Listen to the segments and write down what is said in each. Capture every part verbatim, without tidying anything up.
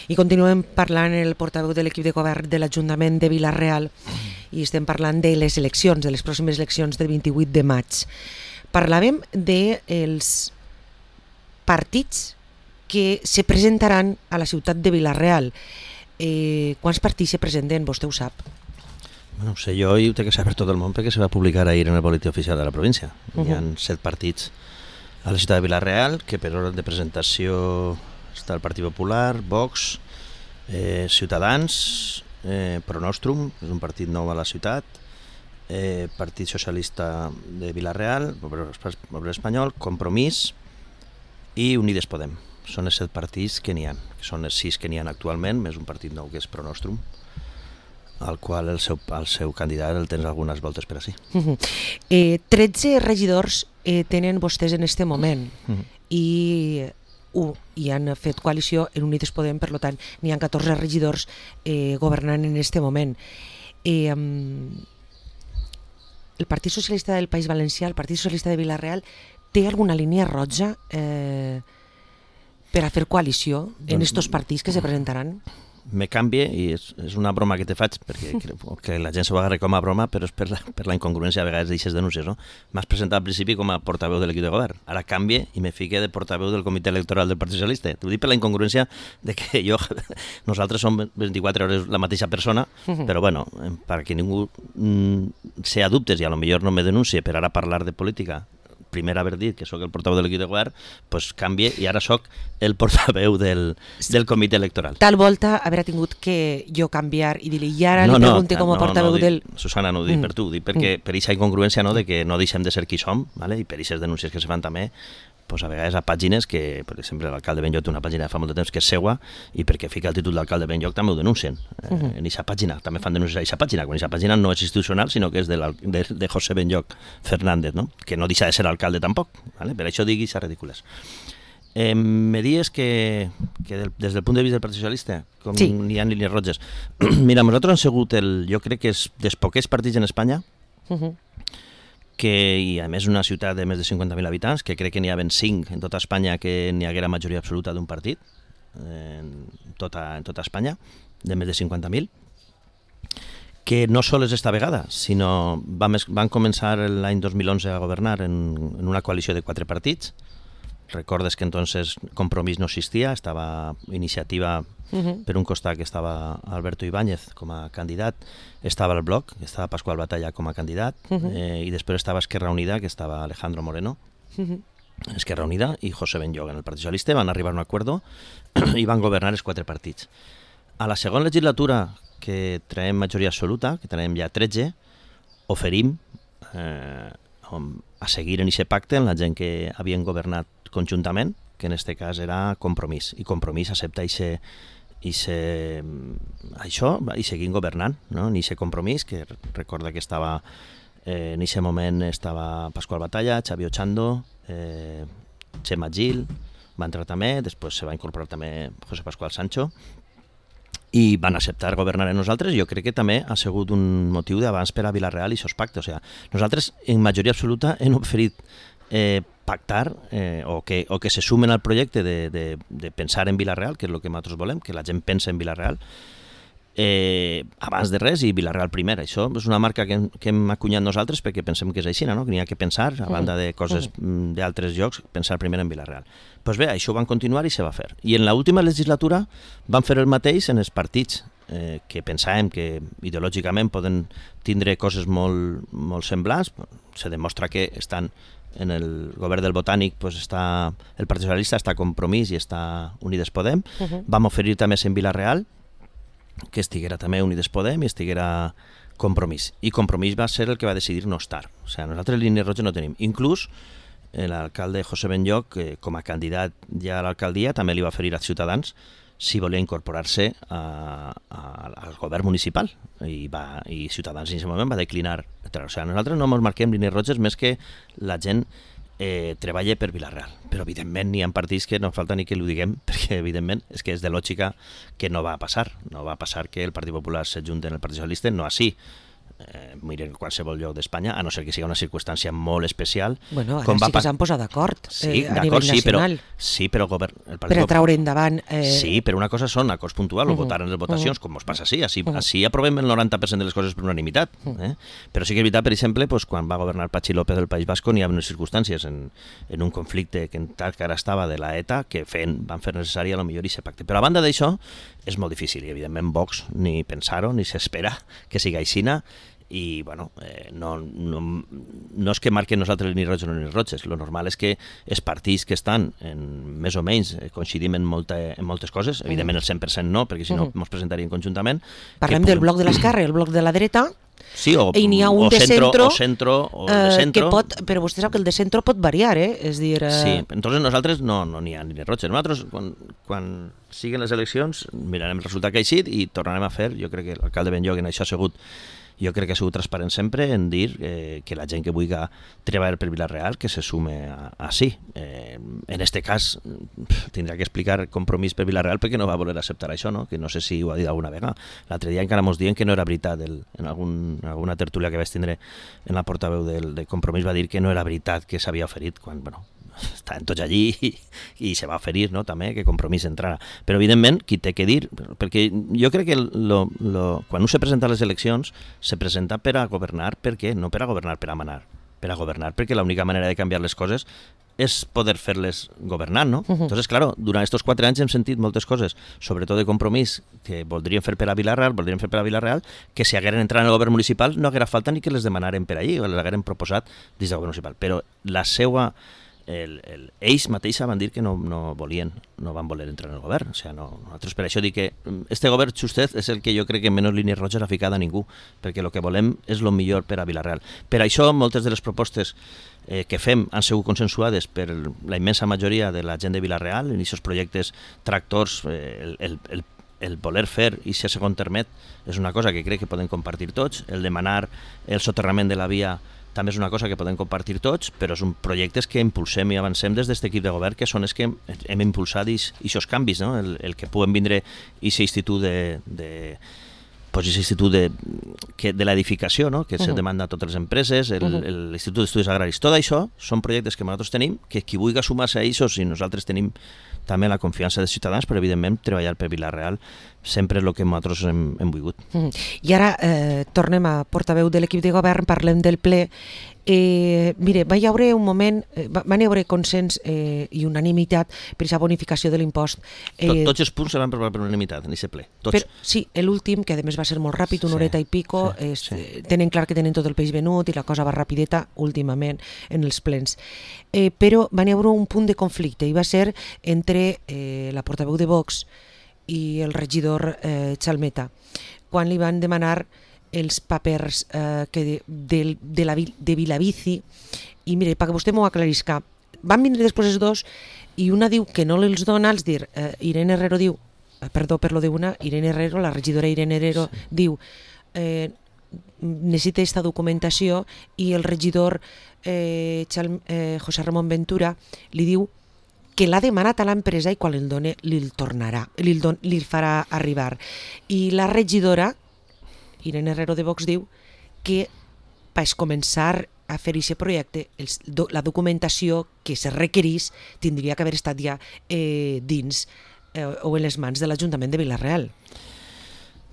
I continuem parlant el portaveu de l'equip de govern de l'Ajuntament de Vila-real i estem parlant de les eleccions, de les pròximes eleccions del vint-i-vuit de maig. Parlàvem dels partits que se presentaran a la ciutat de Vila-real. Eh, quants partits se presenten? Vostè ho sap. No ho sé, jo ho té que saber tot el món perquè se va publicar ahir en el boletí oficial de la província. Uh -huh. Hi ha set partits a la ciutat de Vila-real, que per ordre de presentació està el Partit Popular, Vox, eh, Ciutadans, eh, Pronostrum, que és un partit nou a la ciutat, eh, Partit Socialista de Vila-real, Obrer Espanyol, Compromís i Unides Podem. Són els set partits que n'hi ha, que són els sis que n'hi ha actualment, més un partit nou que és Pronostrum, al qual el seu, el seu candidat el tens algunes voltes per així. Uh-huh. eh, tretze regidors eh, tenen vostès en este moment uh-huh. i, uh, i han fet coalició en Unides Podem, per tant n'hi ha catorze regidors eh, governant en este moment. Eh, um, el Partit Socialista del País Valencià, el Partit Socialista de Vila-real, té alguna línia roja eh, per a fer coalició en estos partits que se presentaran? Me canvie, i és, és una broma que te faig, perquè crec que la gent s'ho agarra com a broma, però és per la, per la incongruència a vegades d'aixes denúncies, no? M'has presentat al principi com a portaveu de l'equip de govern, ara canvie i me fique de portaveu del comitè electoral del Partit Socialista. T'ho dic per la incongruència de que jo, nosaltres som vint-i-quatre hores la mateixa persona, però bueno, perquè ningú mm, sea dubtes i a lo millor no me denuncie per ara parlar de política, primer haver dit que sóc el portaveu de l'equip de govern, doncs canvie i ara sóc el portaveu del, del comitè electoral. Tal volta haurà tingut que jo canviar i dir-li, i ara no, li pregunte no, com a no, portaveu no, del... Susana, no ho dic mm. per tu, ho dic perquè mm. per aquesta incongruència no, de que no deixem de ser qui som, vale? I per aquestes denúncies que se fan també, pues a vegades a pàgines que, per exemple, l'alcalde Benlloc té una pàgina de fa molt de temps que és seua i perquè fica el títol d'alcalde Benlloc també ho denuncien. Uh -huh. eh, en aquesta pàgina, també fan denúncies a aquesta pàgina, quan aquesta pàgina no és institucional, sinó que és de, de, de José Benlloc Fernández, no? Que no deixa de ser alcalde tampoc, ¿vale? Per això digui aquestes ridícules. Eh, me dius que, que del, des del punt de vista del Partit Socialista, com sí. N'hi ha línies roges. Mira, nosaltres hem sigut, el, jo crec que és dels poquets partits en Espanya uh -huh. que, i a més una ciutat de més de cinquanta mil habitants, que crec que n'hi ha ben cinc en tota Espanya que n'hi haguera majoria absoluta d'un partit, en tota, en tota Espanya, de més de cinquanta mil, que no sols esta vegada, sinó van, van començar l'any dos mil onze a governar en, en una coalició de quatre partits. Recordes que entonces Compromís no existia, estava Iniciativa uh-huh. per un costat, que estava Alberto Ibáñez com a candidat, estava el Bloc, estava Pasqual Batalla com a candidat, uh-huh. eh, i després estava Esquerra Unida, que estava Alejandro Moreno, uh-huh. Esquerra Unida i José Benlloc en el Partit Socialista, van arribar a un acuerdo i van governar els quatre partits. A la segona legislatura, que traiem majoria absoluta, que traiem ja tretze, oferim eh, a seguir en aquest pacte amb la gent que havien governat conjuntament, que en aquest cas era Compromís, i Compromís accepta ixe, ixe, això i seguim governant, no? En aquest Compromís, que recorda que estava eh, en aquest moment estava Pasqual Batalla, Xavi Ochando, eh, Xema Gil, va entrar també, després se va incorporar també José Pascual Sancho, i van acceptar governar en nosaltres. Jo crec que també ha sigut un motiu d'abans per a Vila-real i aquests pactes. O sigui, nosaltres en majoria absoluta hem oferit eh, pactar eh, o, que, o que se sumen al projecte de, de, de pensar en Vila-real, que és el que nosaltres volem, que la gent pensa en Vila-real, eh, abans de res, i Vila-real primer. Això és una marca que hem, que hem acunyat nosaltres perquè pensem que és així, no? Que n'hi ha que pensar, a banda de coses mm. d'altres llocs, pensar primer en Vila-real. Doncs pues bé, això ho van continuar i se va fer. I en l'última legislatura van fer el mateix en els partits eh, que pensàvem que ideològicament poden tindre coses molt, molt semblants. Se demostra que estan en el govern del Botànic, pues està, el Partit Socialista està Compromís i està Unides Podem. Uh-huh. Vam oferir també en Vila-real que estiguera també Unides Podem i estiguera Compromís. I Compromís va ser el que va decidir no estar. O sigui, nosaltres línies roges no tenim. Inclús l'alcalde José Benlloc, que com a candidat ja a l'alcaldia, també li va oferir als ciutadans si volia incorporar-se a, a, al govern municipal. I, va, i Ciutadans en aquest moment va declinar. O sigui, nosaltres no ens marquem línies roges més que la gent eh, treballa per Vila-real. Però evidentment n'hi ha partits que no falta ni que ho diguem, perquè evidentment és que és de lògica que no va passar. No va passar que el Partit Popular s'ajunti en el Partit Socialista, no així. eh, miren qualsevol lloc d'Espanya, a no ser que sigui una circumstància molt especial. Bueno, ara com sí va que s'han posat d'acord sí, eh, a nivell sí, però, nacional. sí, però govern, el per a traure endavant... Eh... Sí, però una cosa són acords puntuals uh -huh. o votar en les votacions, uh -huh. com ens passa així. Així, uh -huh. així aprovem el noranta per cent de les coses per unanimitat. Uh -huh. eh? Però sí que és veritat, per exemple, pues, quan va governar Patxi López del País Vasco, n'hi ha unes circumstàncies en, en un conflicte que en tal que ara estava de la ETA que feien, van fer necessari a lo millor i se pacte. Però a banda d'això, és molt difícil i evidentment Vox ni pensar-ho ni s'espera que siga aixina i bueno, eh, no, no, no és que marquen nosaltres ni roig o ni roges, lo normal és que els partits que estan en, més o menys eh, coincidim en, molta, en moltes coses, evidentment el cent per cent no, perquè si no ens presentaríem conjuntament. Parlem del bloc de l'esquerra i el bloc de la dreta. Sí, o, i n'hi ha un o de centro, centro, o centro o de centro. Que pot, però vostè sap que el de centro pot variar, eh? És dir... Eh... Sí, entonces nosaltres no no n'hi ha ni roig. Nosaltres, quan, quan siguen les eleccions, mirarem el resultat que ha eixit i tornarem a fer, jo crec que l'alcalde Benlloc en això ha sigut jo crec que ha sigut transparent sempre en dir eh, que la gent que vulgui treballar per Vila-real que se sume a, a sí. Eh, en este cas tindrà que explicar Compromís per Vila-real perquè no va voler acceptar això, no? Que no sé si ho ha dit alguna vegada. L'altre dia encara mos diuen que no era veritat, el, en, algun, en alguna tertúlia que vaig tindre en la portaveu del, del Compromís va dir que no era veritat que s'havia oferit quan, bueno, estaven tots allí i, i se va oferir, no?, també que Compromís entrara. Però evidentment qui té que dir, perquè jo crec que lo, lo, quan un se presenta a les eleccions se presenta per a governar, per què? No per a governar per a manar, per a governar perquè l'única manera de canviar les coses és poder fer-les governant, no? Uh-huh. Entonces, claro, durant aquests quatre anys hem sentit moltes coses, sobretot de Compromís, que voldrien fer per a Vila-real, voldrien fer per a Vila-real, que si hagueren entrat en el govern municipal no haguera falta ni que les demanaren per allí, o les hagueren proposat dins del govern municipal. Però la seva El, el, ells mateixa van dir que no, no volien, no van voler entrar en el govern. O sigui, no, nosaltres per això dic que este govern justet és el que jo crec que menys línies roges ha ficat a ningú, perquè el que volem és el millor per a Vila-real. Per això moltes de les propostes eh, que fem han sigut consensuades per la immensa majoria de la gent de Vila-real, en aquests projectes tractors, eh, el, el, el el voler fer i ser segon termet és una cosa que crec que podem compartir tots, el demanar el soterrament de la via també és una cosa que podem compartir tots, però són projectes que impulsem i avancem des d'aquest equip de govern, que són els que hem impulsat aquests canvis, no? el, el que puguem vindre aquest institut de, de pues aquest institut de, que, de l'edificació, no? que uh -huh. se demanda a totes les empreses, l'Institut d'Estudis Agraris, tot això són projectes que nosaltres tenim, que qui vulgui sumar-se a ells, i nosaltres tenim també la confiança dels ciutadans, però evidentment treballar per Vila-real sempre és el que nosaltres hem, hem volgut. Mm. I ara eh, tornem a portaveu de l'equip de govern, parlem del ple. Eh, mire, va hi haure un moment, eh, van hi haure consens eh, i unanimitat per aquesta bonificació de l'impost. Eh, Tot, tots els punts se van aprovar per unanimitat en aquest ple, tots. Per, sí, l'últim, que a més va ser molt ràpid, una sí, horeta i pico, sí, és, sí. tenen clar que tenen tot el peix venut i la cosa va rapideta últimament en els plens. Eh, però van hi haure un punt de conflicte i va ser entre eh, la portaveu de Vox i el regidor eh, Chalmeta, quan li van demanar els papers eh, que de, de, de, la, de Vilabici, i mire, perquè vostè m'ho aclarisca, van vindre després els dos i una diu que no els dona, els dir, eh, Irene Herrero diu, eh, perdó per lo de una, Irene Herrero, la regidora Irene Herrero, sí. diu, eh, necessita aquesta documentació, i el regidor eh, Chal, eh, José Ramón Ventura li diu que l'ha demanat a l'empresa i quan el doni li'l tornarà, li'l, don, li'l farà arribar. I la regidora Irene Herrero de Vox diu que per començar a fer aquest projecte els, do, la documentació que se requerís tindria que haver estat ja eh, dins eh, o en les mans de l'Ajuntament de Vila-real.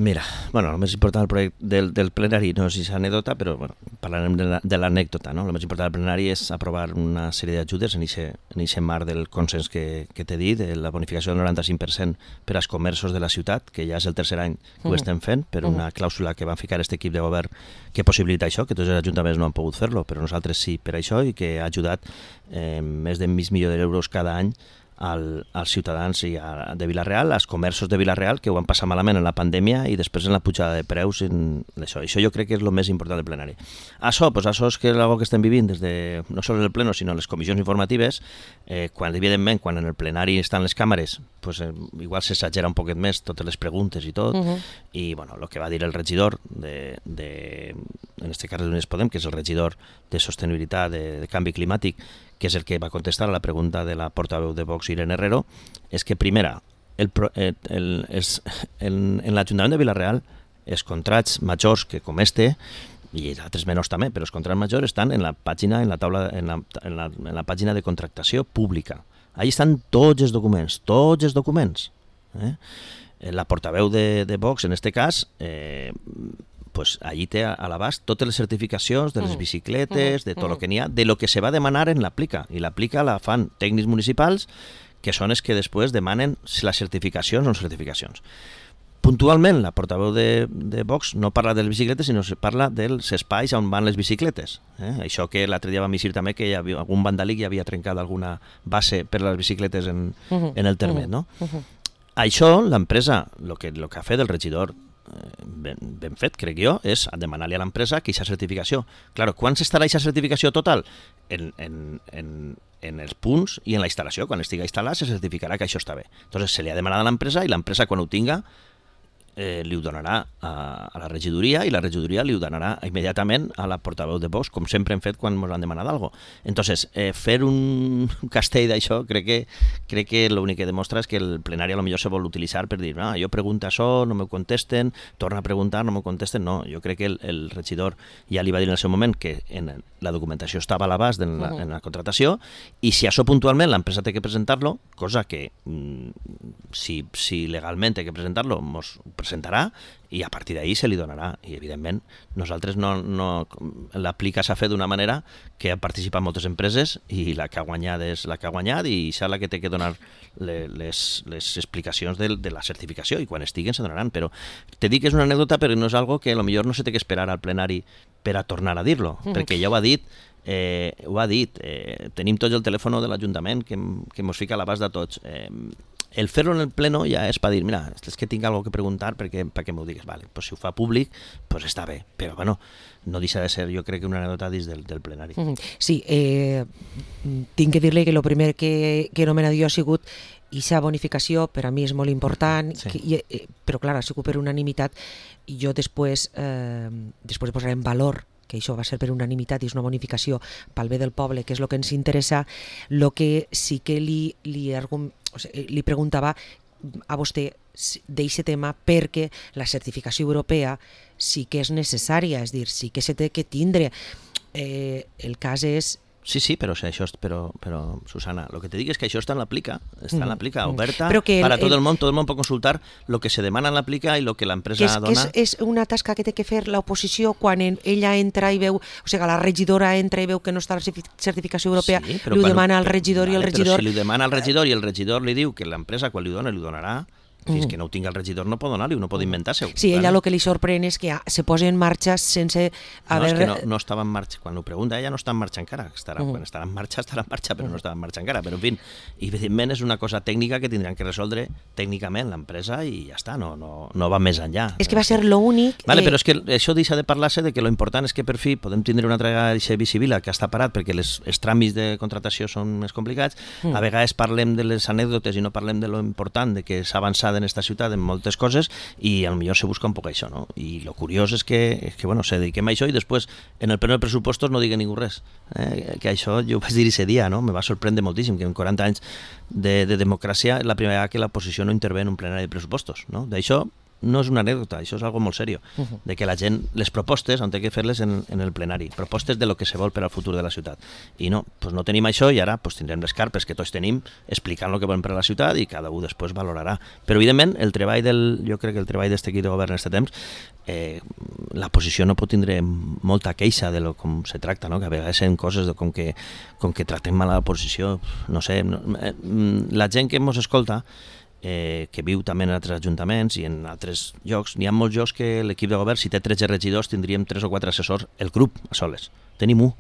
Mira, bueno, el més important del projecte del, del plenari no és aquesta anècdota, però bueno, parlarem de l'anècdota, no? El més important del plenari és aprovar una sèrie d'ajudes en aquest marc del consens que, que t'he dit, de la bonificació del noranta-cinc per cent per als comerços de la ciutat, que ja és el tercer any que ho estem fent, per una clàusula que van ficar aquest equip de govern que possibilita això, que tots els ajuntaments no han pogut fer-lo, però nosaltres sí per això, i que ha ajudat eh, més de mig milió d'euros cada any Al, als ciutadans i a, de Vila-real, als comerços de Vila-real que ho van passar malament en la pandèmia i després en la pujada de preus. En això. Això jo crec que és el més important del plenari. Això, pues, això és que és algo que estem vivint des de, no sols el pleno, sinó les comissions informatives, eh, quan evidentment quan en el plenari estan les càmeres, pues, eh, igual s'exagera un poquet més totes les preguntes i tot, uh-huh. i bueno, el que va dir el regidor de, de en este cas d'Unides Podem, que és el regidor de sostenibilitat, de, de canvi climàtic, que és el que va contestar a la pregunta de la portaveu de Vox, Irene Herrero, és que, primera, el, el, el, el, en l'Ajuntament de Vila-real els contrats majors que com este, i altres menors també, però els contrats majors estan en la pàgina, en la taula, en la, en la, en la pàgina de contractació pública. Allí estan tots els documents, tots els documents. Eh? La portaveu de, de Vox, en este cas, eh, pues allí té a l'abast totes les certificacions de les bicicletes, de tot el que n'hi ha, de lo que se va demanar en l'aplica. I l'aplica la fan tècnics municipals, que són els que després demanen si les certificacions o no certificacions. Puntualment, la portaveu de, de Vox no parla de les bicicletes, sinó que parla dels espais on van les bicicletes. Eh? Això que l'altre dia vam dir també que hi havia algun vandàlic i havia trencat alguna base per les bicicletes en, uh-huh. en el termet. No? Uh-huh. Això, l'empresa, el que, lo que ha fet el regidor, Ben, ben fet, crec jo, és demanar-li a l'empresa que aquesta certificació. Claro, quan s'estarà aquesta certificació total? En, en, en, en els punts i en la instal·lació. Quan estigui instal·lat se certificarà que això està bé. Entonces se li ha demanat a l'empresa i l'empresa quan ho tinga eh, li ho donarà a, a la regidoria i la regidoria li ho donarà immediatament a la portaveu de Vox, com sempre hem fet quan ens han demanat alguna cosa. Entonces, eh, fer un castell d'això crec que crec que l'únic que demostra és que el plenari potser se vol utilitzar per dir, ah, jo pregunto això, no me contesten, torna a preguntar, no me contesten. No, jo crec que el, el regidor ja li va dir en el seu moment que en la documentació estava a l'abast en, la, en la contratació i si això puntualment l'empresa té que presentar-lo, cosa que mm, si, si legalment té que presentar-lo, mos presentarà i a partir d'ahir se li donarà. I evidentment nosaltres no, no l'aplica s'ha fet d'una manera que han participat moltes empreses i la que ha guanyat és la que ha guanyat i és la que té que donar les, les explicacions de, de la certificació i quan estiguen se donaran. Però te dic que és una anècdota però no és algo que potser no se té que esperar al plenari per a tornar a dir-lo, mm. perquè ja ho ha dit eh, ho ha dit, eh, tenim tots el telèfon de l'Ajuntament que, que mos fica a l'abast de tots. Eh, el fer-lo en el pleno ja és per dir, mira, és que tinc alguna cosa que preguntar perquè, perquè m'ho digues. Vale, pues si ho fa públic, pues està bé, però bueno, no deixa de ser, jo crec que una anècdota dins del, del plenari. Sí, eh, tinc que dir-li que el primer que, que he nomenat jo ha sigut aquesta bonificació, per a mi és molt important, sí. que, eh, però clar, ha sigut per unanimitat i jo després, eh, després posaré en valor que això va ser per unanimitat i és una bonificació pel bé del poble, que és el que ens interessa. El que sí que li, li, argum, o sigui, li preguntava a vostè d'aquest tema perquè la certificació europea sí que és necessària, és dir, sí que se té que tindre. Eh, el cas és... Sí, sí, però, això, però, però Susana, el que te dic és que això està en l'aplica, està en l'aplica oberta el, per a tot el món, tot el món pot consultar el que se demana en l'aplica i el que l'empresa que és, dona. Que és, és una tasca que té que fer l'oposició quan en, ella entra i veu, o sigui, la regidora entra i veu que no està la certificació europea, sí, li ho demana al regidor vale, i el regidor... Però si li demana al regidor i el regidor li diu que l'empresa quan li dona li donarà, fins que no ho tingui el regidor no pot donar-li, no pot inventar-se-ho. Sí, ella el que li sorprèn és que se posa en marxa sense haver... No, és que no, no estava en marxa. Quan ho pregunta, ella no està en marxa encara. Estarà, uh-huh. Quan estarà en marxa, estarà en marxa, però uh-huh. no estava en marxa encara. Però, en fi, evidentment és una cosa tècnica que tindran que resoldre tècnicament l'empresa i ja està, no, no, no va més enllà. És que va ser l'únic... Vale, eh... però és que això deixa de parlar-se de que lo important és que per fi podem tindre una altra Vicivila que està parat perquè les, els tràmits de contratació són més complicats. Uh-huh. A vegades parlem de les anècdotes i no parlem de lo important de que s'ha avançat en esta ciutat en moltes coses i potser se busca un poc això, no? I lo curiós és que, és que bueno, se dediquem a això i després en el pleno de pressupostos no digui ningú res. Eh? Que això jo ho vaig dir aquest dia, no? Me va sorprendre moltíssim que en quaranta anys de, de democràcia és la primera vegada que l'oposició no intervé en un plenari de pressupostos, no? D'això no és una anècdota, això és algo molt seriós, uh-huh. de que la gent, les propostes han de fer-les en, en el plenari, propostes de lo que se vol per al futur de la ciutat. I no, pues no tenim això i ara pues, tindrem les carpes que tots tenim explicant el que volem per a la ciutat i cada un després valorarà. Però evidentment el treball del, jo crec que el treball d'aquest equip de govern en aquest temps, eh, la posició no pot tindre molta queixa de lo com se tracta, no? Que a vegades són coses de com que, com que tractem mal a l'oposició, no sé, no, eh, la gent que ens escolta Eh, que viu també en altres ajuntaments i en altres llocs, n'hi ha molts llocs que l'equip de govern, si té tretze regidors, tindríem tres o quatre assessors, el grup a soles, tenim un.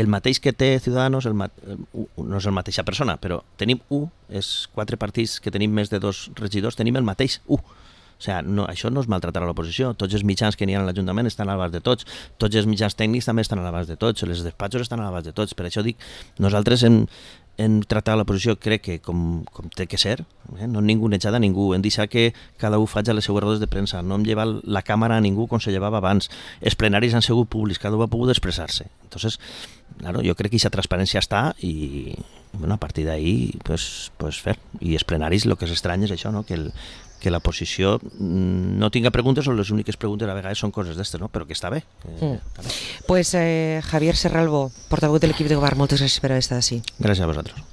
El mateix que té Ciudadanos, el ma- no és la mateixa persona, però tenim un, els quatre partits que tenim més de dos regidors, tenim el mateix un. O sigui, no, això no és maltratar a l'oposició, tots els mitjans que n'hi ha a l'Ajuntament estan a l'abast de tots, tots els mitjans tècnics també estan a l'abast de tots, els despatxos estan a l'abast de tots, per això dic, nosaltres hem, hem tractat l'oposició, crec que com, com té que ser, eh? No hem ningú netjat a ningú, hem deixat que cada un faci les seues rodes de premsa, no hem llevat la càmera a ningú com se llevava abans, els plenaris han sigut públics, cada un ha pogut expressar-se. Entonces, claro, jo crec que aquesta transparència està i bueno, a partir d'ahí pues, pues fer. I els plenaris el que és estrany és això, no? que, el, que la posició no tinga preguntes o les úniques preguntes a vegades són coses d'estes, no? Però que està bé. Mm. Està bé. Pues eh, Javier Serralbo, portaveu de l'equip de govern, moltes gràcies per haver estat així. Gràcies a vosaltres.